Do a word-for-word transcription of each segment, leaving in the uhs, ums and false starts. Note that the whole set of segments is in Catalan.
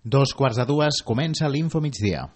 Dos quarts de dues, comença l'Info Migdia.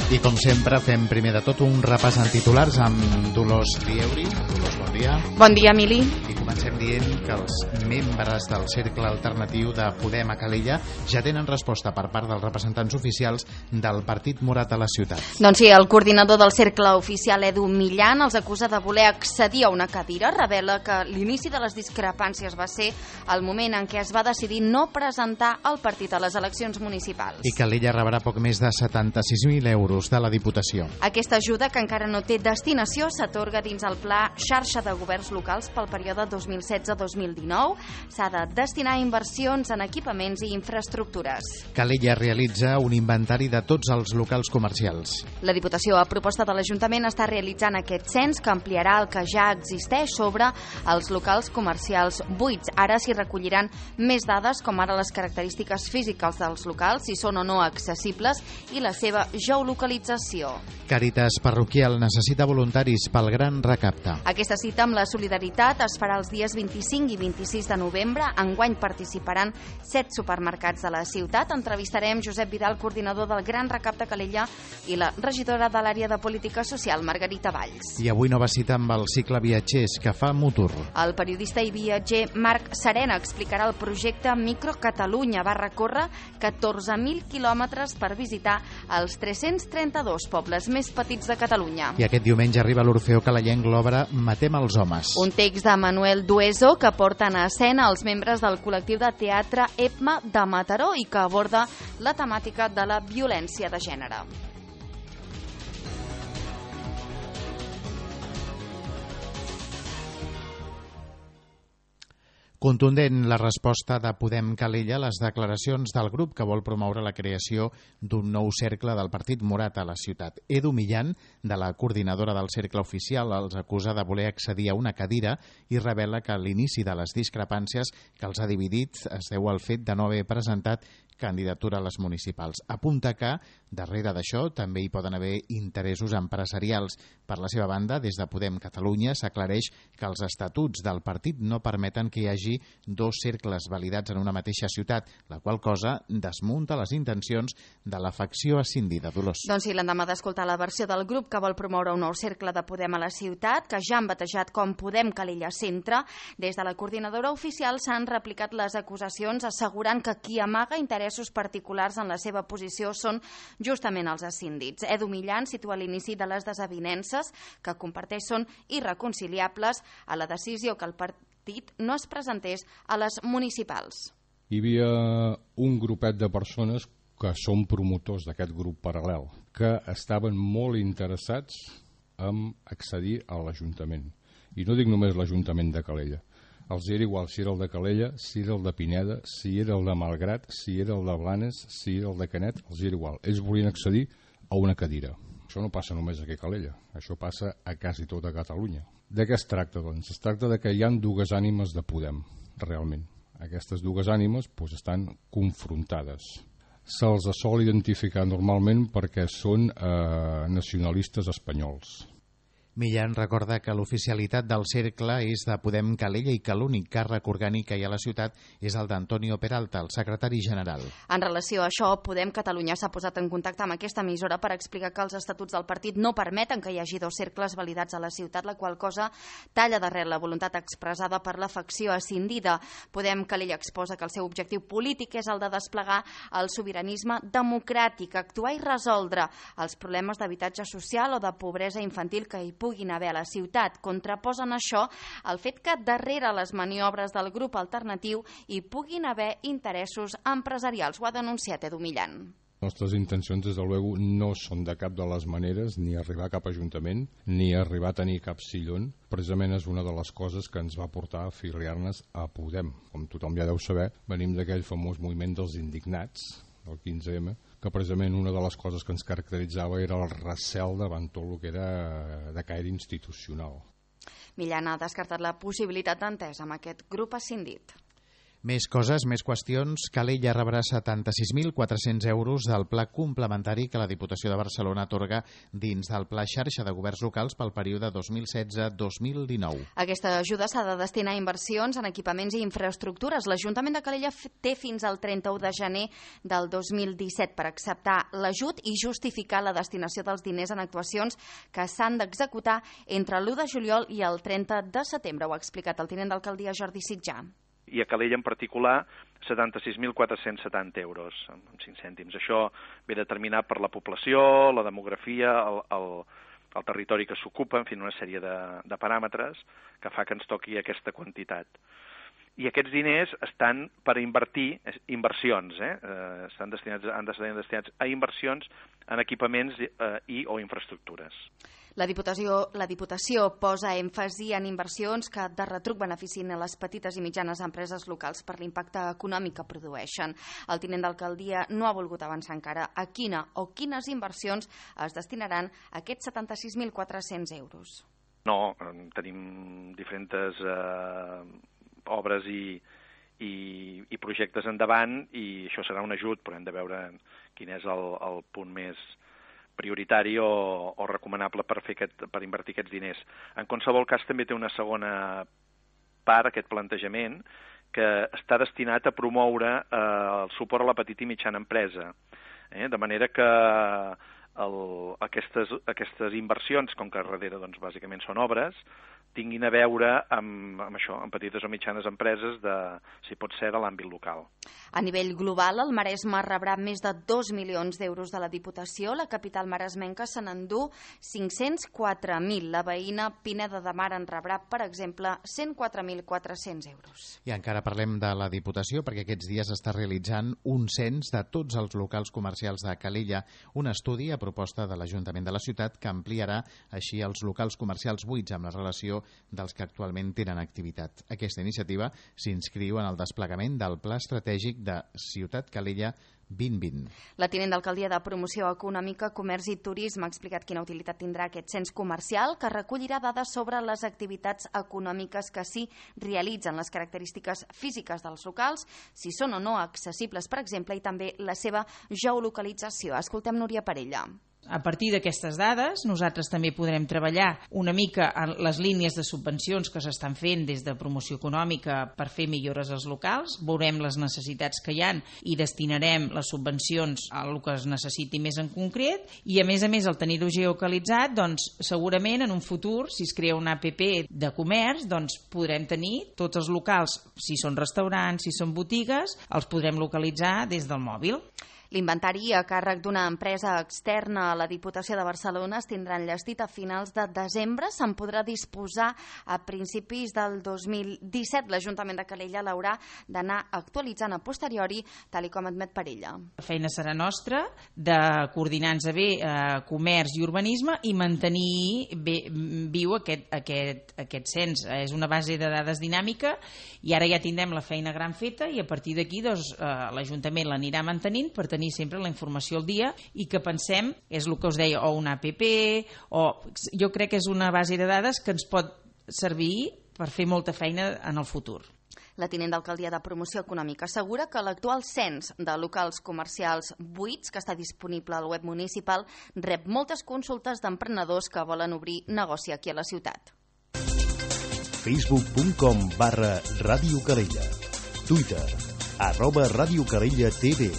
I com sempre fem primer de tot un repàs en titulars amb Dolors Lieuri. Dolors, bon dia. Bon dia, Emili. I comencem dient que els membres del Cercle Alternatiu de Podem a Calella ja tenen resposta per part dels representants oficials del Partit Morat a la ciutat. Doncs sí, el coordinador del Cercle Oficial, Edu Millan, els acusa de voler accedir a una cadira. Revela que l'inici de les discrepàncies va ser el moment en què es va decidir no presentar el partit a les eleccions municipals. I Calella rebrà poc més de setanta-sis mil euros de la Diputació. Aquesta ajuda, que encara no té destinació, s'atorga dins el Pla Xarxa de Governs Locals pel període dos mil setze dos mil dinou. S'ha de destinar a inversions en equipaments i infraestructures. Calella realitza un inventari de tots els locals comercials. La Diputació, a proposta de l'Ajuntament, està realitzant aquest cens que ampliarà el que ja existeix sobre els locals comercials buits. Ara s'hi recolliran més dades, com ara les característiques físiques dels locals, si són o no accessibles, i la seva geolocalització. Càritas Parroquial necessita voluntaris pel gran recapte. Aquesta cita amb la solidaritat es farà els dies vint-i-cinc i vint-i-sis de novembre. Enguany participaran set supermercats de la ciutat. Entrevistarem Josep Vidal, coordinador del Gran Recapte Calella, i la regidora de l'àrea de Política Social, Margarita Valls. I avui nova cita amb el cicle Viatgers que fa Mutur. El periodista i viatger Marc Serena explicarà el projecte Micro Catalunya. Va recórrer catorze mil quilòmetres per visitar els tres-cents trenta-dos pobles més petits de Catalunya. I aquest diumenge arriba a l'Orfeó Calellenc l'obra Matem els homes. Un text de Manuel Dueso que porten a escena els membres del col·lectiu de teatre E P M A de Mataró i que aborda la temàtica de la violència de gènere. Contundent la resposta de Podem Calella a les declaracions del grup que vol promoure la creació d'un nou cercle del Partit Morat a la ciutat. Edu Millan, de la coordinadora del cercle oficial, els acusa de voler accedir a una cadira i revela que l'inici de les discrepàncies que els ha dividit es deu al fet de no haver presentat candidatura a les municipals. Apunta que, darrere d'això, també hi poden haver interessos empresarials. Per la seva banda, des de Podem Catalunya s'aclareix que els estatuts del partit no permeten que hi hagi dos cercles validats en una mateixa ciutat, la qual cosa desmunta les intencions de la facció escindida. Dolors. Doncs sí, l'endemà d'escoltar la versió del grup que vol promoure un nou cercle de Podem a la ciutat, que ja han batejat com Podem Calella Centre, des de la coordinadora oficial s'han replicat les acusacions assegurant que qui amaga interès particulars en la seva posició són justament els escíndits. Edu Millan situa l'inici de les desavinences que comparteix són irreconciliables a la decisió que el partit no es presentés a les municipals. Hi havia un grupet de persones que són promotors d'aquest grup paral·lel, que estaven molt interessats en accedir a l'Ajuntament. I no dic només l'Ajuntament de Calella. Els era igual si era el de Calella, si era el de Pineda, si era el de Malgrat, si era el de Blanes, si era el de Canet, els era igual. Ells volien accedir a una cadira. Això no passa només aquí a Calella, això passa a quasi tota Catalunya. De què es tracta, doncs? Es tracta de que hi ha dues ànimes de Podem, realment. Aquestes dues ànimes doncs, estan confrontades. Se'ls sol identificar normalment perquè són eh, nacionalistes espanyols. Millan recorda que l'oficialitat del cercle és de Podem Calella i que l'únic càrrec orgànic que hi ha a la ciutat és el d'Antonio Peralta, el secretari general. En relació a això, Podem Catalunya s'ha posat en contacte amb aquesta emissora per explicar que els estatuts del partit no permeten que hi hagi dos cercles validats a la ciutat, la qual cosa talla darrere la voluntat expressada per la facció escindida. Podem Calella exposa que el seu objectiu polític és el de desplegar el sobiranisme democràtic, actuar i resoldre els problemes d'habitatge social o de pobresa infantil que hi puguin haver a la ciutat. Contraposen això el fet que darrere les maniobres del grup alternatiu hi puguin haver interessos empresarials. Ho ha denunciat Edu Millan. Les nostres intencions, des de luego, no són de cap de les maneres ni arribar a cap ajuntament, ni arribar a tenir cap sillón. Precisament és una de les coses que ens va portar a afiliar-nos a Podem. Com tothom ja deu saber, venim d'aquell famós moviment dels indignats, del quinze eme, que precisament una de les coses que ens caracteritzava era el recel davant tot el que era de caire institucional. Millan ha descartat la possibilitat d'entesa amb aquest grup escindit. Més coses, més qüestions. Calella rebrà setanta-sis mil quatre-cents euros del pla complementari que la Diputació de Barcelona atorga dins del Pla Xarxa de Governs Locals pel període dos mil setze a dos mil dinou. Aquesta ajuda s'ha de destinar a inversions en equipaments i infraestructures. L'Ajuntament de Calella té fins al trenta-u de gener del dos mil disset per acceptar l'ajut i justificar la destinació dels diners en actuacions que s'han d'executar entre l'u de juliol i el trenta de setembre. Ho ha explicat el tinent d'alcaldia Jordi Sitjà. I a Calella en particular setanta-sis mil quatre-cents setanta euros, amb cinc cèntims. Això ve determinat per la població, la demografia, el, el, el territori que s'ocupa, en fi, una sèrie de, de paràmetres que fa que ens toqui aquesta quantitat. I aquests diners estan per invertir, inversions, eh? eh estan destinats, han de ser destinats a inversions en equipaments eh, i o infraestructures. La Diputació, la Diputació posa èmfasi en inversions que de retruc beneficien a les petites i mitjanes empreses locals per l'impacte econòmic que produeixen. El tinent d'alcaldia no ha volgut avançar encara a quina o quines inversions es destinaran aquests setanta-sis mil quatre-cents euros. No, tenim diferents eh, obres i, i, i projectes endavant i això serà un ajut, però hem de veure quin és el, el punt més prioritari o, o recomanable per, fer aquest, per invertir aquests diners. En qualsevol cas també té una segona part, aquest plantejament, que està destinat a promoure eh, el suport a la petita i mitjana empresa. Eh? De manera que el, aquestes, aquestes inversions, com que darrere doncs, bàsicament són obres, tinguin a veure amb, amb això, amb petites o mitjanes empreses, de, si pot ser, de l'àmbit local. A nivell global, el Maresme rebrà més de dos milions d'euros de la Diputació. La capital maresmenca se n'endú cinc-cents quatre mil. La veïna Pineda de Mar en rebrà, per exemple, cent quatre mil quatre-cents euros. I encara parlem de la Diputació, perquè aquests dies està realitzant un cens de tots els locals comercials de Calella, un estudi a proposta de l'Ajuntament de la ciutat que ampliarà així els locals comercials buits amb la relació dels que actualment tenen activitat. Aquesta iniciativa s'inscriu en el desplegament del Pla Estratègic de Ciutat Calella vint vint. La tinent d'alcaldia de Promoció Econòmica, Comerç i Turisme ha explicat quina utilitat tindrà aquest cens comercial, que recollirà dades sobre les activitats econòmiques que s'hi realitzen, les característiques físiques dels locals, si són o no accessibles, per exemple, i també la seva geolocalització. Escoltem Núria Parella. A partir d'aquestes dades, nosaltres també podrem treballar una mica en les línies de subvencions que s'estan fent des de promoció econòmica per fer millores als locals, veurem les necessitats que hi ha i destinarem les subvencions a el que es necessiti més en concret i, a més a més, al tenir-ho geolocalitzat, doncs, segurament en un futur, si es crea una app de comerç, doncs podrem tenir tots els locals, si són restaurants, si són botigues, els podrem localitzar des del mòbil. L'inventari a càrrec d'una empresa externa a la Diputació de Barcelona es tindrà enllestit a finals de desembre. Se'n podrà disposar a principis del dos mil disset. L'Ajuntament de Calella l'haurà d'anar actualitzant a posteriori, tal i com admet Parella. La feina serà nostra de coordinar-nos bé eh, comerç i urbanisme i mantenir bé, viu aquest, aquest, aquest cens. És una base de dades dinàmica i ara ja tindrem la feina gran feta i a partir d'aquí doncs, eh, l'Ajuntament l'anirà mantenint per tenir sempre la informació al dia i que pensem, és el que us deia, o una app, o jo crec que és una base de dades que ens pot servir per fer molta feina en el futur. La tinent d'alcaldia de Promoció Econòmica assegura que l'actual cens de locals comercials buits, que està disponible al web municipal, rep moltes consultes d'emprenedors que volen obrir negoci aquí a la ciutat. facebook punt com barra Ràdio Calella. Twitter, arroba Ràdio Calella T V.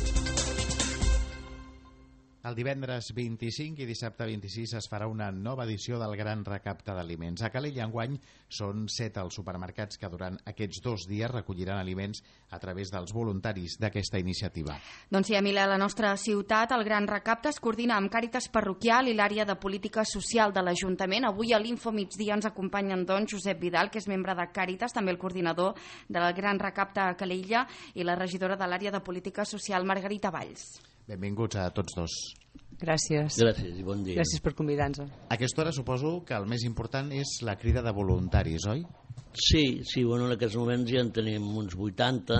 El divendres vint-i-cinc i dissabte vint-i-sis es farà una nova edició del Gran Recapte d'Aliments. A Calella enguany són set els supermercats que durant aquests dos dies recolliran aliments a través dels voluntaris d'aquesta iniciativa. Doncs sí, Emília, a la nostra ciutat el Gran Recapte es coordina amb Càritas Parroquial i l'àrea de política social de l'Ajuntament. Avui a l'Info Migdia ens acompanyen doncs Josep Vidal, que és membre de Càritas, també el coordinador del Gran Recapte a Calella, i la regidora de l'àrea de política social, Margarita Valls. Benvinguts a tots dos. Gràcies. Gràcies i bon dia. Gràcies per convidar-nos. A aquesta hora suposo que el més important és la crida de voluntaris, oi? Sí, sí, bueno, en aquests moments ja en tenim uns vuitanta.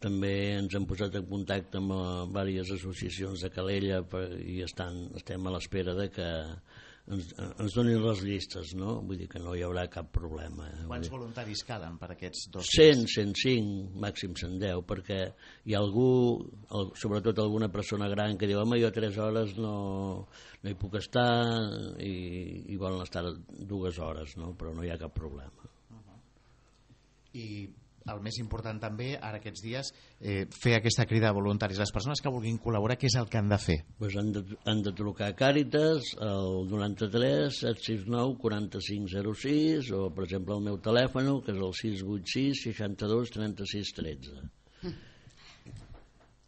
També ens hem posat en contacte amb diverses associacions de Calella per, i estan, estem a l'espera de que ens, ens donin les llistes, no? Vull dir que no hi haurà cap problema. Eh? Quants voluntaris calen per aquests dos? cent, cent cinc, màxim cent deu, perquè hi ha algú, sobretot alguna persona gran, que diu, home, jo tres hores no, no hi puc estar, i, i volen estar dues hores, no? Però no hi ha cap problema. Uh-huh. I el més important també, ara aquests dies, eh, fer aquesta crida a voluntaris. Les persones que vulguin col·laborar, què és el que han de fer? Pues han, de, han de trucar a Càritas al noranta-tres set sis nou quaranta-cinc zero sis, o per exemple el meu telèfon, que és el sis vuit sis seixanta-dos trenta-sis tretze.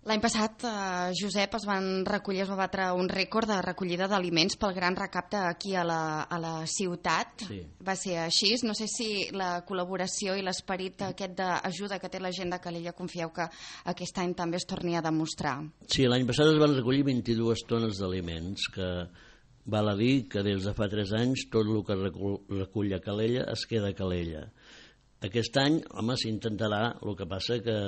L'any passat, eh, Josep, es van recollir, es va batre un rècord de recollida d'aliments pel gran recapte aquí a la, a la ciutat. Sí. Va ser així. No sé si la col·laboració i l'esperit aquest d'ajuda que té la gent de Calella confieu que aquest any també es torni a demostrar. Sí, l'any passat es van recollir vint-i-dues tones d'aliments, que val a dir que des de fa tres anys tot el que recull, recull a Calella es queda a Calella. Aquest any, home, s'intentarà, el que passa que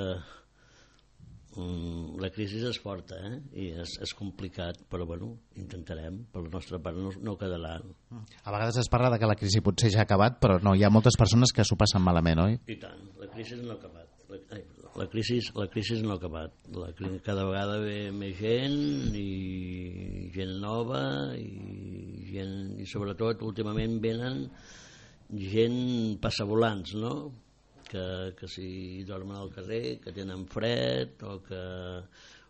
la crisi és forta, eh? I és, és complicat, però bueno, intentarem, per la nostra part no, no quedarà. A vegades es parla de que la crisi potser ja ha acabat, però no, hi ha moltes persones que s'ho passen malament, oi? I tant, la crisi no ha acabat. La, ai, la, crisi, la crisi no ha acabat. La, cada vegada ve més gent, i gent nova, i, gent, i sobretot últimament venen gent passavolants, no? Que, que si dormen al carrer, que tenen fred, o que,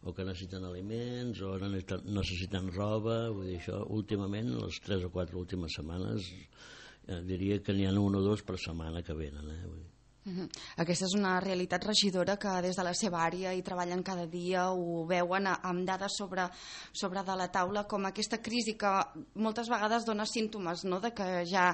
o que necessiten aliments, o necessiten, necessiten roba. Vull dir, això últimament, les tres o quatre últimes setmanes, eh, diria que n'hi ha un o dos per setmana que venen. Eh? Vull dir. Uh-huh. Aquesta és una realitat, regidora, que des de la seva àrea hi treballen cada dia, ho veuen amb dades sobre, sobre de la taula, com aquesta crisi que moltes vegades dona símptomes, no?, de que ja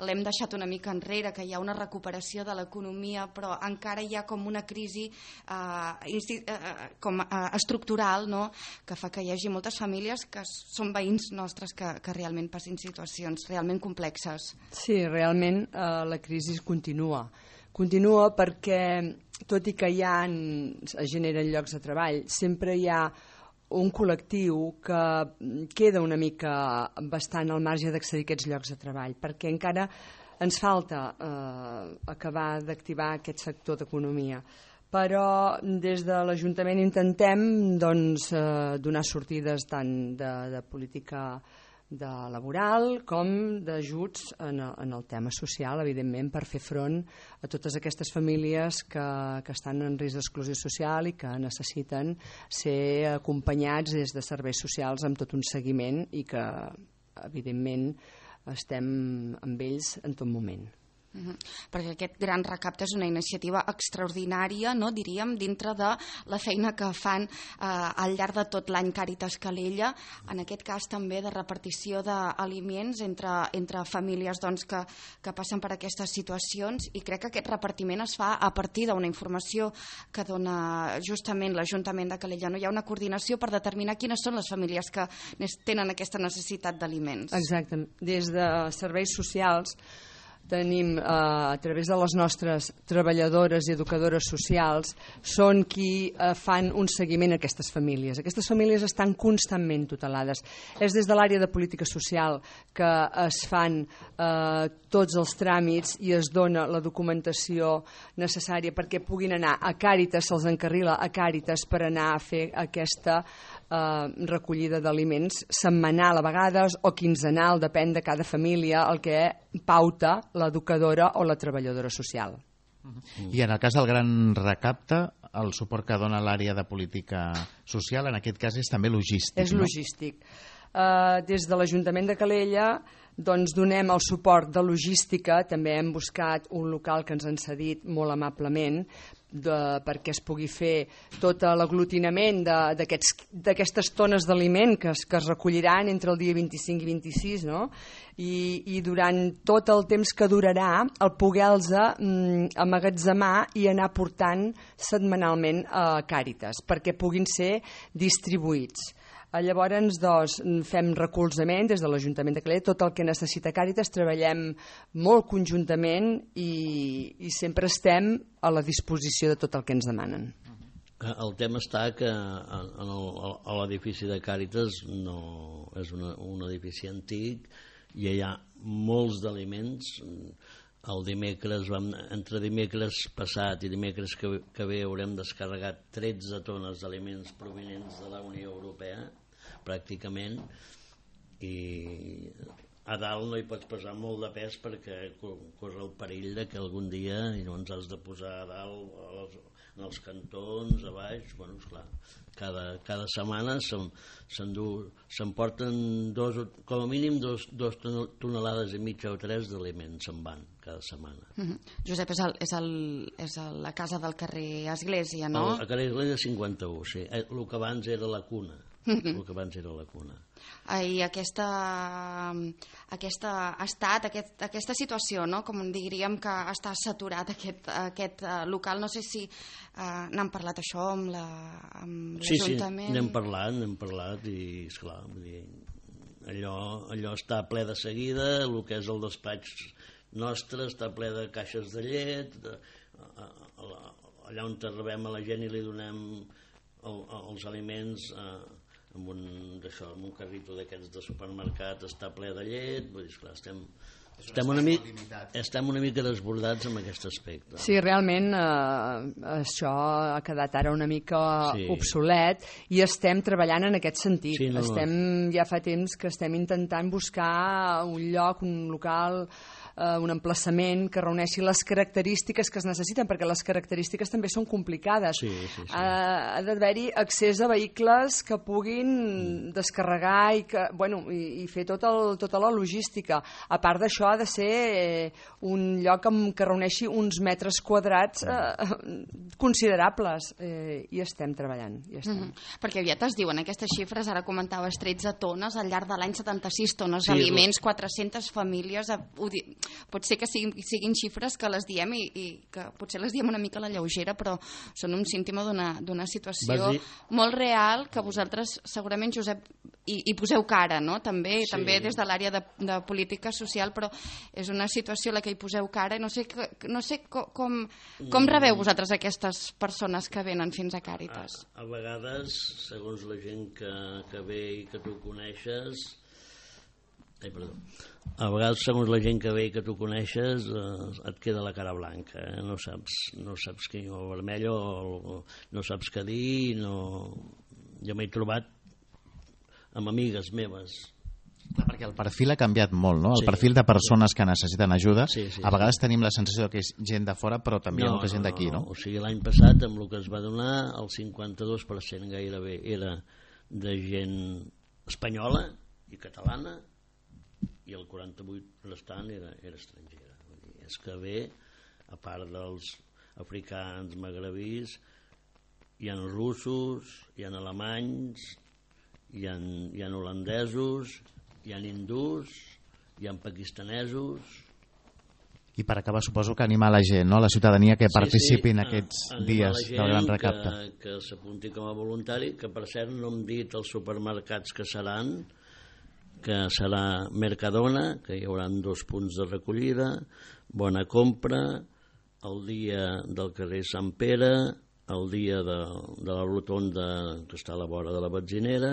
l'hem deixat una mica enrere, que hi ha una recuperació de l'economia, però encara hi ha com una crisi eh, eh, com, eh, estructural, no?, que fa que hi hagi moltes famílies que són veïns nostres que, que realment passin situacions realment complexes. Sí, realment eh, la crisi continua. Continua perquè, tot i que hi ha, es generen llocs de treball, sempre hi ha un col·lectiu que queda una mica bastant al marge d'accedir a aquests llocs de treball, perquè encara ens falta eh, acabar d'activar aquest sector d'economia. Però des de l'Ajuntament intentem doncs, eh, donar sortides tant de, de política de laboral com d'ajuts en, en el tema social, evidentment, per fer front a totes aquestes famílies que, que estan en risc d'exclusió social i que necessiten ser acompanyats des de serveis socials amb tot un seguiment i que, evidentment, estem amb ells en tot moment. Uh-huh. Perquè aquest gran recapte és una iniciativa extraordinària, no, diríem, dintre de la feina que fan eh, al llarg de tot l'any Càritas Calella, en aquest cas també de repartició d'aliments entre, entre famílies doncs, que, que passen per aquestes situacions, i crec que aquest repartiment es fa a partir d'una informació que dona justament l'Ajuntament de Calella. No hi ha una coordinació per determinar quines són les famílies que tenen aquesta necessitat d'aliments. Exacte. Des de serveis socials tenim, eh, a través de les nostres treballadores i educadores socials, són qui eh, fan un seguiment a aquestes famílies. Aquestes famílies estan constantment tutelades. És des de l'àrea de política social que es fan eh, tots els tràmits i es dona la documentació necessària perquè puguin anar a Càritas, se'ls encarrila a Càritas per anar a fer aquesta eh, recollida d'aliments setmanal a vegades o quinzenal, depèn de cada família, el que pauta l'educadora o la treballadora social. I en el cas del gran recapte, el suport que dona l'àrea de política social, en aquest cas és també logístic. És logístic. No? Uh, des de l'Ajuntament de Calella doncs donem el suport de logística, també hem buscat un local que ens han cedit molt amablement de, perquè es pugui fer tot l'aglutinament d'aquestes tones d'aliment que, es, que es recolliran entre el dia vint-i-cinc i vint-i-sis, no? I, i durant tot el temps que durarà el poder-los mm, amagatzemar i anar portant setmanalment a Càritas perquè puguin ser distribuïts. Llavors, doncs, fem recolzament des de l'Ajuntament de Calella, tot el que necessita Càritas, treballem molt conjuntament i, i sempre estem a la disposició de tot el que ens demanen. El tema està que en l'edifici de Càritas no, és una, un edifici antic i hi ha molts d'aliments. El dimecres, vam, entre dimecres passat i dimecres que, que ve haurem descarregat tretze tones d'aliments provenents de la Unió Europea, pràcticament, i a dalt no hi pots posar molt de pes perquè corre el perill de que algun dia no ens has de posar a dalt als, en els cantons, a baix. Bueno, esclar, cada, cada setmana s'emporten dos, com a mínim dos, dos tonelades i mitja o tres d'aliments se'n van cada setmana. Mm-hmm. Josep, és, el, és, el, és el, la casa del carrer Església, no? El, el carrer Església cinquanta-u, sí. El que abans era la cuna. Mm-hmm. El que abans era la cuna. I aquesta, aquesta estat, aquest, aquesta situació, no? Com diríem que està saturat aquest, aquest uh, local, no sé si uh, n'han parlat això amb l'Ajuntament. Sí, sí, n'hem parlat, n'hem parlat i esclar, vull dir, allò, allò està ple de seguida, el que és el despatx nostre està ple de caixes de llet, de, a, a, a, allà on rebem a la gent i li donem el, els aliments a, amb un, d'això, amb un carrito d'aquests de supermercat està ple de llet, vull dir, esclar, estem, estem, una mica, estem una mica desbordats en aquest aspecte. Sí, realment eh, això ha quedat ara una mica sí. obsolet i estem treballant en aquest sentit. Sí, no, estem, no. Ja fa temps que estem intentant buscar un lloc, un local, eh, un emplaçament que reuneixi les característiques que es necessiten, perquè les característiques també són complicades. Sí, sí, sí. Ha, ha d'haver-hi accés a vehicles que puguin mm. descarregar i, que, bueno, i, i fer tot el, tota la logística. A part d'això, ha de ser eh, un lloc amb, que reuneixi uns metres quadrats eh, considerables eh, i estem treballant. I estem. Mm-hmm. Perquè aviat es diuen aquestes xifres, ara comentaves tretze tones, al llarg de l'any setanta-sis tones sí, d'aliments, quatre-centes famílies, pot ser que siguin, siguin xifres que les diem i, i que potser les diem una mica a la lleugera, però són un símptoma d'una situació molt real que vosaltres segurament, Josep, i, i poseu cara, no? També, sí. també des de l'àrea de, de política social, però és una situació a la que hi poseu cara i no sé, no sé com, com, com rebeu vosaltres aquestes persones que venen fins a Càritas. A, a vegades, segons la gent que, que ve i que tu coneixes, Ai, perdó. A vegades, segons la gent que ve i que tu coneixes, eh, et queda la cara blanca, eh? no saps, no saps què, o vermell, o, o no saps què dir, no... Jo m'he trobat amb amigues meves. Clar, perquè el perfil ha canviat molt, no? El sí. perfil de persones que necessiten ajuda, sí, sí, a vegades sí. tenim la sensació que és gent de fora, però també no, hi ha molta gent d'aquí, no, no? O sigui, l'any passat, amb el que es va donar, el cinquanta-dos per cent gairebé era de gent espanyola i catalana, i el quaranta-vuit restant era, era estrangera. Vull dir, és que ve, a part dels africans, magrebís, hi ha russos, hi ha alemanys, hi ha, hi ha holandesos, hi ha hindús, hi ha pakistanesos... I per acabar, suposo que animar la gent, no? La ciutadania que participi sí, sí, en aquests dies del gran recapte. Que, que s'apunti com a voluntari, que per cert no hem dit els supermercats que seran, que serà Mercadona, que hi haurà dos punts de recollida, Bona Compra, el dia del carrer Sant Pere, el dia de, de la rotonda que està a la vora de la Benzinera,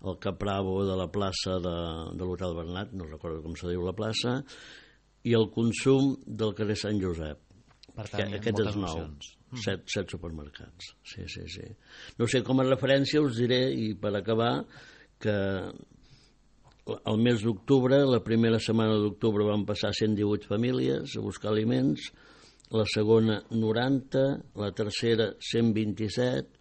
el Capravo de la plaça de, de l'Hotel Bernat, no recordo com se diu la plaça, i el consum del carrer Sant Josep. Per tant, aquest és nou. Set, set supermercats. Sí, sí, sí. No sé, com a referència us diré, i per acabar, que el mes d'octubre, la primera setmana d'octubre van passar cent divuit famílies a buscar aliments, la segona noranta, la tercera cent vint-i-set,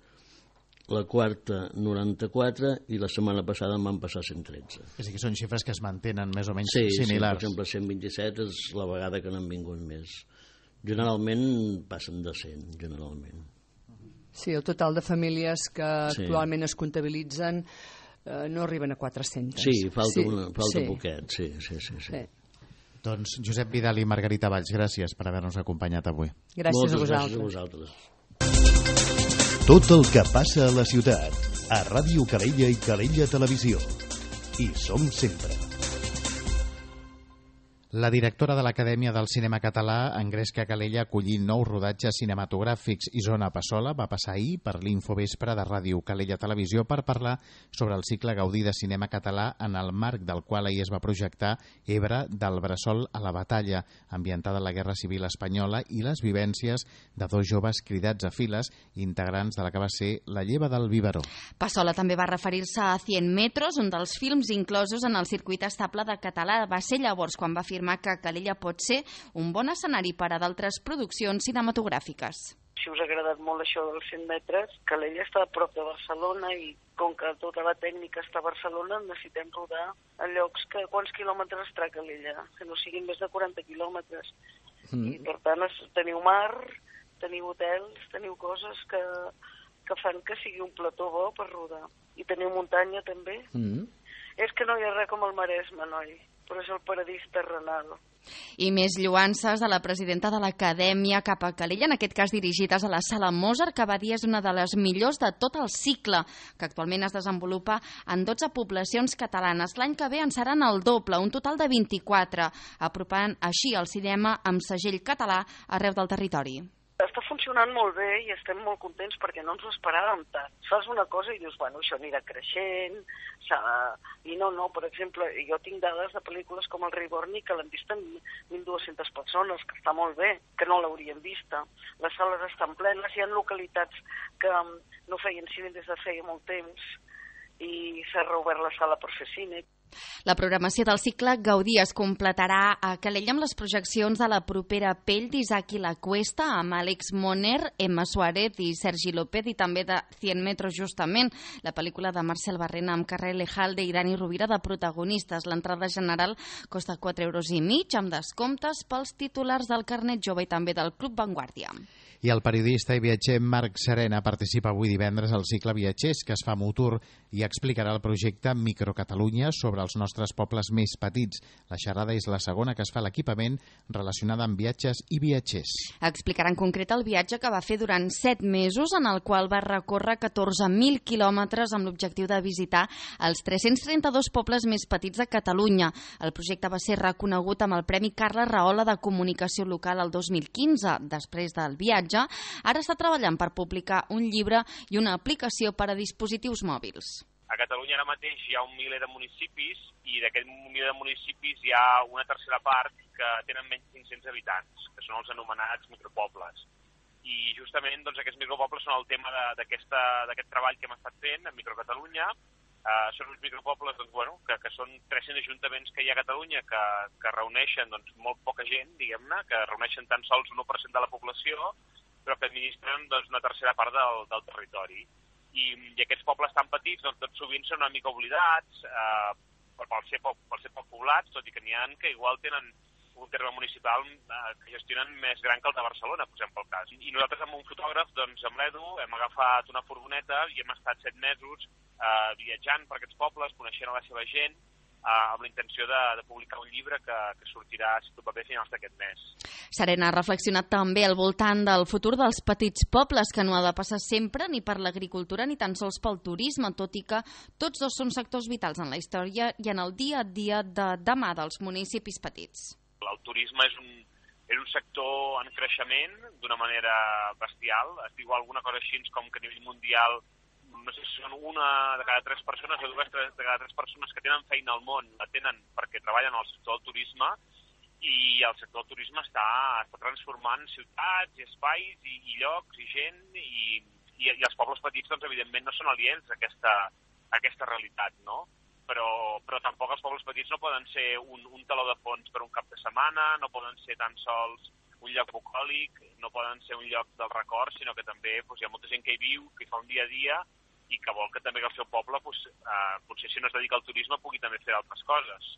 la quarta noranta-quatre i la setmana passada en van passar cent tretze. És a dir, que són xifres que es mantenen més o menys sí, similars. Sí, per exemple, cent vint-i-set és la vegada que n'han vingut més. Generalment passen de cent, generalment. Sí, el total de famílies que sí. actualment es comptabilitzen eh, no arriben a quatre-centes. Sí, falta, sí. Una, falta sí. poquet, sí, sí, sí. sí. sí. Doncs Josep Vidal i Margarita Valls, gràcies per haver-nos acompanyat avui. Gràcies Moltes a vosaltres. Gràcies a vosaltres. Tot el que passa a la ciutat, a Ràdio Calella i Calella Televisió. Hi som sempre. La directora de l'Acadèmia del Cinema Català, Engresca Calella, acollint nous rodatges cinematogràfics i Zona Passola, va passar ahir per l'Infovespre de Ràdio Calella Televisió per parlar sobre el cicle Gaudí de cinema català, en el marc del qual ahir es va projectar Ebre, del bressol a la batalla, ambientada en la Guerra Civil Espanyola, i les vivències de dos joves cridats a files, integrants de la que va ser la lleva del biberó. Passola també va referir-se a cent metros, un dels films inclosos en el circuit estable de català. Va ser llavors quan va afirmar que Calella pot ser un bon escenari per a d'altres produccions cinematogràfiques. Si us ha agradat molt això dels cent metres, Calella està a prop de Barcelona i com que tota la tècnica està a Barcelona, necessitem rodar a llocs que... Quants quilòmetres està Calella? Que no siguin més de quaranta quilòmetres. Mm. I per tant teniu mar, teniu hotels, teniu coses que, que fan que sigui un plató bo per rodar. I teniu muntanya també. Mm. És que no hi ha res com el Maresme, noi. Però és el paradís terrenal. I més lluances de la presidenta de l'Acadèmia cap a Calella, en aquest cas dirigides a la Sala Mozart, que va dir és una de les millors de tot el cicle, que actualment es desenvolupa en dotze poblacions catalanes. L'any que ve en seran el doble, un total de vint-i-quatre, apropant així el cinema amb segell català arreu del territori. Està funcionant molt bé i estem molt contents perquè no ens ho esperàvem tant. Fas una cosa i dius, bueno, això anirà creixent, i no, no, per exemple, jo tinc dades de pel·lícules com El rei Borni que l'han vist en mil dues-centes persones, que està molt bé, que no l'haurien vista. Les sales estan plenes, hi ha localitats que no feien cine des de feia molt temps i s'ha reobert la sala per fer cine. La programació del cicle Gaudí es completarà a Calella amb les projeccions de la propera Pell d'Isaac i la Cuesta, amb Àlex Moner, Emma Suárez i Sergi López, i també de cent metros justament, la pel·lícula de Marcel Barrena amb Carrer Lejalde i Dani Rovira de protagonistes. L'entrada general costa quatre euros i mig, amb descomptes pels titulars del carnet jove i també del Club Vanguardia. I el periodista i viatger Marc Serena participa avui divendres al cicle Viatgers, que es fa a Mutur, i explicarà el projecte Microcatalunya sobre els nostres pobles més petits. La xerrada és la segona que es fa a l'equipament relacionada amb viatges i viatgers. Explicarà en concret el viatge que va fer durant set mesos, en el qual va recórrer catorze mil quilòmetres amb l'objectiu de visitar els tres-cents trenta-dos pobles més petits de Catalunya. El projecte va ser reconegut amb el Premi Carles Rahola de Comunicació Local el dos mil quinze. Després del viatge, ara està treballant per publicar un llibre i una aplicació per a dispositius mòbils. A Catalunya ara mateix hi ha un miler de municipis i d'aquest miler de municipis hi ha una tercera part que tenen menys de cinc-cents habitants, que són els anomenats micropobles. I justament doncs, aquests micropobles són el tema d'aquest treball que hem estat fent a Microcatalunya. Uh, són uns micropobles doncs, bueno, que, que són tres-cents ajuntaments que hi ha a Catalunya que, que reuneixen doncs, molt poca gent, diguem-ne, que reuneixen tan sols un u per cent de la població, però que administren doncs, una tercera part del, del territori. I, I aquests pobles tan petits doncs, tot sovint són una mica oblidats eh, per, per, ser poc, per ser poc poblats, tot i que n'hi ha que igual tenen un terme municipal eh, que gestionen més gran que el de Barcelona, posem pel cas. I nosaltres amb un fotògraf, doncs, amb l'Edu, hem agafat una furgoneta i hem estat set mesos eh, viatjant per aquests pobles, coneixent a la seva gent, eh, amb la intenció de, de publicar un llibre que, que sortirà, si tot va bé, a finals d'aquest mes. Serena ha reflexionat també al voltant del futur dels petits pobles, que no ha de passar sempre ni per l'agricultura ni tan sols pel turisme, tot i que tots dos són sectors vitals en la història i en el dia a dia de demà dels municipis petits. El turisme és un, és un sector en creixement d'una manera bestial. Es diu alguna cosa així com que a nivell mundial, no sé si són una de cada tres persones o dues de cada tres persones que tenen feina al món, la tenen perquè treballen al sector del turisme, i el sector del turisme està, està transformant ciutats i espais i, i llocs i gent, i, i, i els pobles petits, doncs, evidentment, no són aliens a aquesta, a aquesta realitat, no? Però, però tampoc els pobles petits no poden ser un, un taló de fons per un cap de setmana, no poden ser tan sols un lloc bucòlic, no poden ser un lloc del record, sinó que també doncs, hi ha molta gent que hi viu, que hi fa un dia a dia i que vol que també el seu poble, doncs, eh, potser si no es dedica al turisme, pugui també fer altres coses.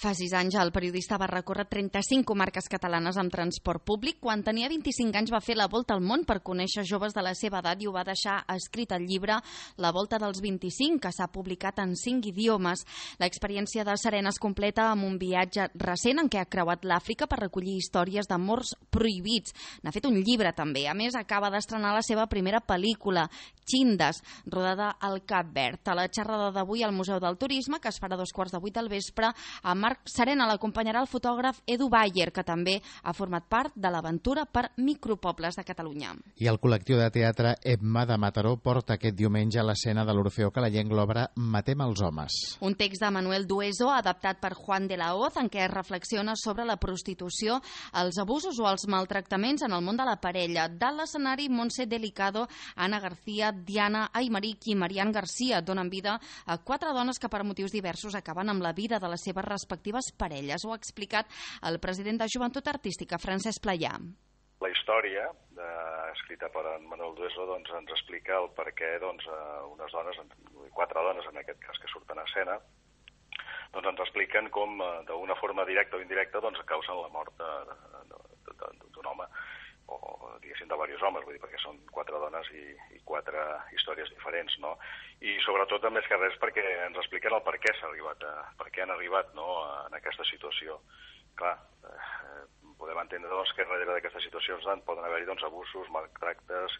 Fa sis anys el periodista va recórrer trenta-cinc comarques catalanes amb transport públic. Quan tenia vint-i-cinc anys va fer la volta al món per conèixer joves de la seva edat i ho va deixar escrit al llibre La volta dels vint-i-cinc, que s'ha publicat en cinc idiomes. L'experiència de Serena es completa amb un viatge recent en què ha creuat l'Àfrica per recollir històries d'amors prohibits. N'ha fet un llibre també. A més, acaba d'estrenar la seva primera pel·lícula, Chindas, rodada al Cap Verd. A la xerrada d'avui al Museu del Turisme, que es farà a dos quarts de vuit del vespre, A Marc Serena l'acompanyarà el fotògraf Edu Bayer, que també ha format part de l'aventura per Micropobles de Catalunya. I el col·lectiu de teatre Emma de Mataró porta aquest diumenge a l'escena de l'Orfeó Calellenc l'obra Matem els homes. Un text de Manuel Dueso, adaptat per Juan de la Hoz, en què es reflexiona sobre la prostitució, els abusos o els maltractaments en el món de la parella. Dalt l'escenari, Montse Delicado, Anna García, Diana Aymeric i Marian García donen vida a quatre dones que per motius diversos acaben amb la vida de les seves respectives parelles. Ho ha explicat el president de Joventut Artística, Francesc Playà. La història, eh, escrita per en Manuel Dueso, doncs, ens explica el per què doncs, eh, unes dones, quatre dones en aquest cas que surten a escena, doncs ens expliquen com eh, d'una forma directa o indirecta doncs, causen la mort d'un home, o diguéssim de diversos homes, vull dir, perquè són quatre dones i, i quatre històries diferents, no? I sobretot, més que res, perquè ens expliquen el per què s'ha arribat, a, per què han arribat, no, en aquesta situació. Clar, eh, podem entendre doncs, que darrere d'aquestes situacions doncs, poden haver-hi doncs, abusos, maltractes,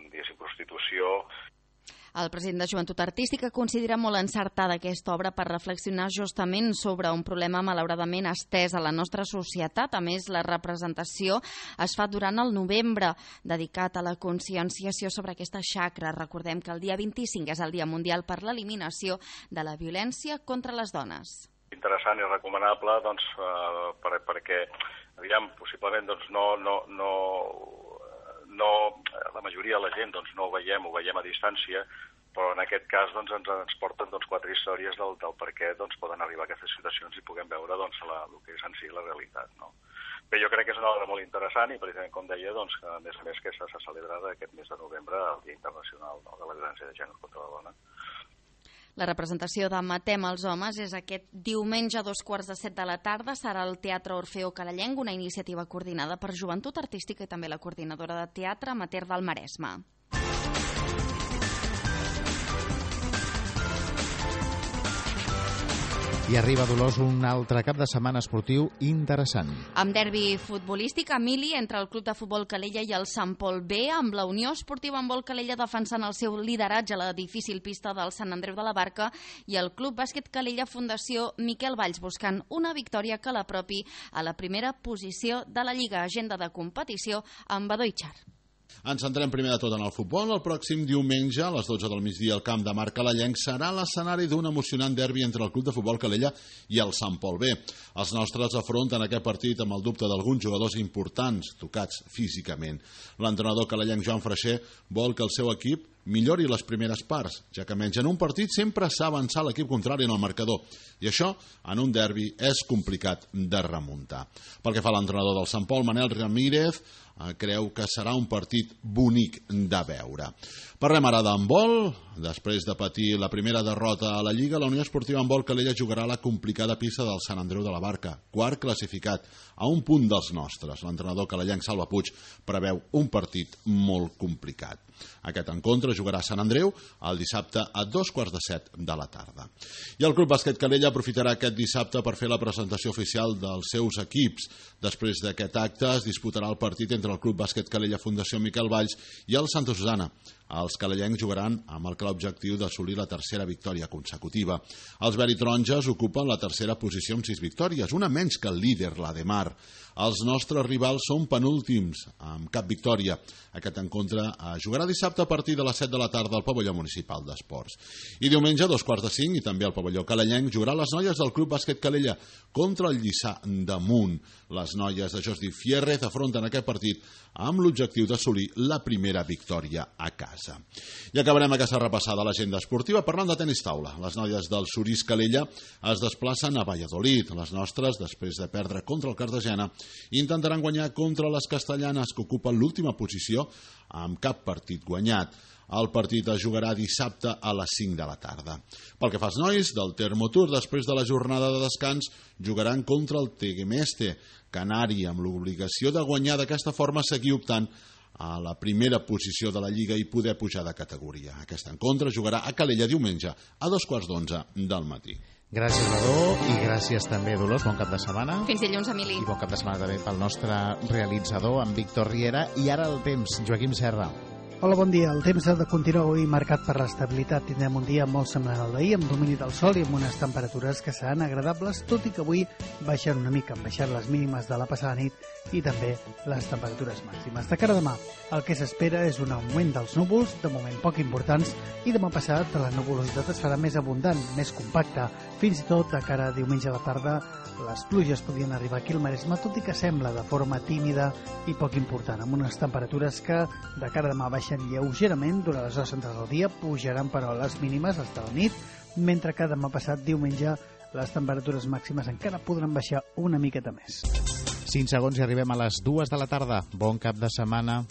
diguéssim, prostitució. El president de Joventut Artística considera molt encertada aquesta obra per reflexionar justament sobre un problema malauradament estès a la nostra societat. A més, la representació es fa durant el novembre, dedicat a la conscienciació sobre aquesta xacra. Recordem que el dia vint-i-cinc és el Dia Mundial per l'Eliminació de la Violència contra les Dones. Interessant i recomanable doncs, eh, per, perquè, aviam, possiblement doncs, no, no, no, no, la majoria de la gent doncs, no ho veiem, ho veiem a distància, però en aquest cas doncs, ens, ens porten doncs, quatre històries del, del per què doncs, poden arribar a aquestes situacions i puguem veure doncs, la, el que és en si la realitat. No? Bé, jo crec que és una obra molt interessant i, precisament, com deia, doncs, que a més a més que s'ha celebrat aquest mes de novembre el Dia Internacional, no, de la Violència de Gènere contra la Dona. La representació de Matem els homes és aquest diumenge a dos quarts de set de la tarda. Serà al Teatre Orfeó Calellenc, una iniciativa coordinada per Joventut Artística i també la coordinadora de teatre amateur del Maresme. I arriba, Dolors, un altre cap de setmana esportiu interessant. Amb derbi futbolístic, Emili, entre el Club de Futbol Calella i el Sant Pol B, amb la Unió Esportiva Handbol Calella defensant el seu lideratge a la difícil pista del Sant Andreu de la Barca i el Club Bàsquet Calella Fundació Miquel Valls buscant una victòria que l'apropi a la primera posició de la Lliga. Agenda de competició amb Badó i Xar. Ens centrem primer de tot en el futbol. El pròxim diumenge, a les dotze del migdia, al camp de Marc Calellenc serà l'escenari d'un emocionant derbi entre el Club de Futbol Calella i el Sant Pol B. Els nostres afronten aquest partit amb el dubte d'alguns jugadors importants, tocats físicament. L'entrenador calellenc Joan Freixer vol que el seu equip millori les primeres parts, ja que menys en un partit sempre s'ha avançat l'equip contrari en el marcador, i això, en un derbi, és complicat de remuntar. Pel que fa a l'entrenador del Sant Pol, Manel Ramírez, creu que serà un partit bonic de veure. Parlem ara d'handbol. Després de patir la primera derrota a la Lliga, la Unió Esportiva Handbol Calella jugarà a la complicada pista del Sant Andreu de la Barca, quart classificat, a un punt dels nostres. L'entrenador calellenc Salva Puig preveu un partit molt complicat. Aquest encontre jugarà a Sant Andreu el dissabte a dos quarts de set de la tarda. I el Club Bàsquet Calella aprofitarà aquest dissabte per fer la presentació oficial dels seus equips. Després d'aquest acte es disputarà el partit entre el Club Bàsquet Calella Fundació Miquel Valls i el Santa Susana. Els calellencs jugaran amb el clar objectiu d'assolir la tercera victòria consecutiva. Els veritaronges ocupen la tercera posició amb sis victòries, una menys que el líder, la de Mar. Els nostres rivals són penúltims, amb cap victòria. Aquest encontre jugarà dissabte a partir de les set de la tarda al pavelló municipal d'esports. I diumenge, a dos quarts de cinc, i també al pavelló calellenc, jugarà les noies del Club Bàsquet Calella contra el Lliçà d'Amunt. Les noies de Jordi Fierrez afronten aquest partit amb l'objectiu d'assolir la primera victòria a casa. I acabarem aquesta repassada a l'agenda esportiva parlant de tenis taula. Les noies del Surís Calella es desplacen a Valladolid. Les nostres, després de perdre contra el Cartagena, intentaran guanyar contra les castellanes, que ocupen l'última posició amb cap partit guanyat. El partit es jugarà dissabte a les cinc de la tarda. Pel que fa als nois del Termotour, després de la jornada de descans, jugaran contra el Tegemeste Canari, amb l'obligació de guanyar, d'aquesta forma seguir optant a la primera posició de la Lliga i poder pujar de categoria. Aquest encontre jugarà a Calella diumenge a dos quarts d'onze del matí. Gràcies, Badó, i gràcies també, Dolors. Bon cap de setmana. Fins dilluns, Emili. I bon cap de setmana també pel nostre realitzador, en Víctor Riera. I ara el temps, Joaquim Serra. Hola, bon dia. El temps ha de continuar avui marcat per l'estabilitat. Tindrem un dia molt semblant al d'ahir, amb domini del sol i amb unes temperatures que seran agradables, tot i que avui baixen una mica, han baixat les mínimes de la passada nit i també les temperatures màximes. De cara a demà, el que s'espera és un augment dels núvols, de moment poc importants, i demà passat la nuvolositat es farà més abundant, més compacta. Fins i tot, de cara a diumenge a la tarda, les pluges podrien arribar aquí al Maresme, tot i que sembla de forma tímida i poc important, amb unes temperatures que de cara a demà baixen lleugerament durant les hores centrals del dia, pujaran però les mínimes fins a la nit, mentre que demà passat, diumenge, les temperatures màximes encara podran baixar una miqueta més. cinc segons i arribem a les dues de la tarda. Bon cap de setmana.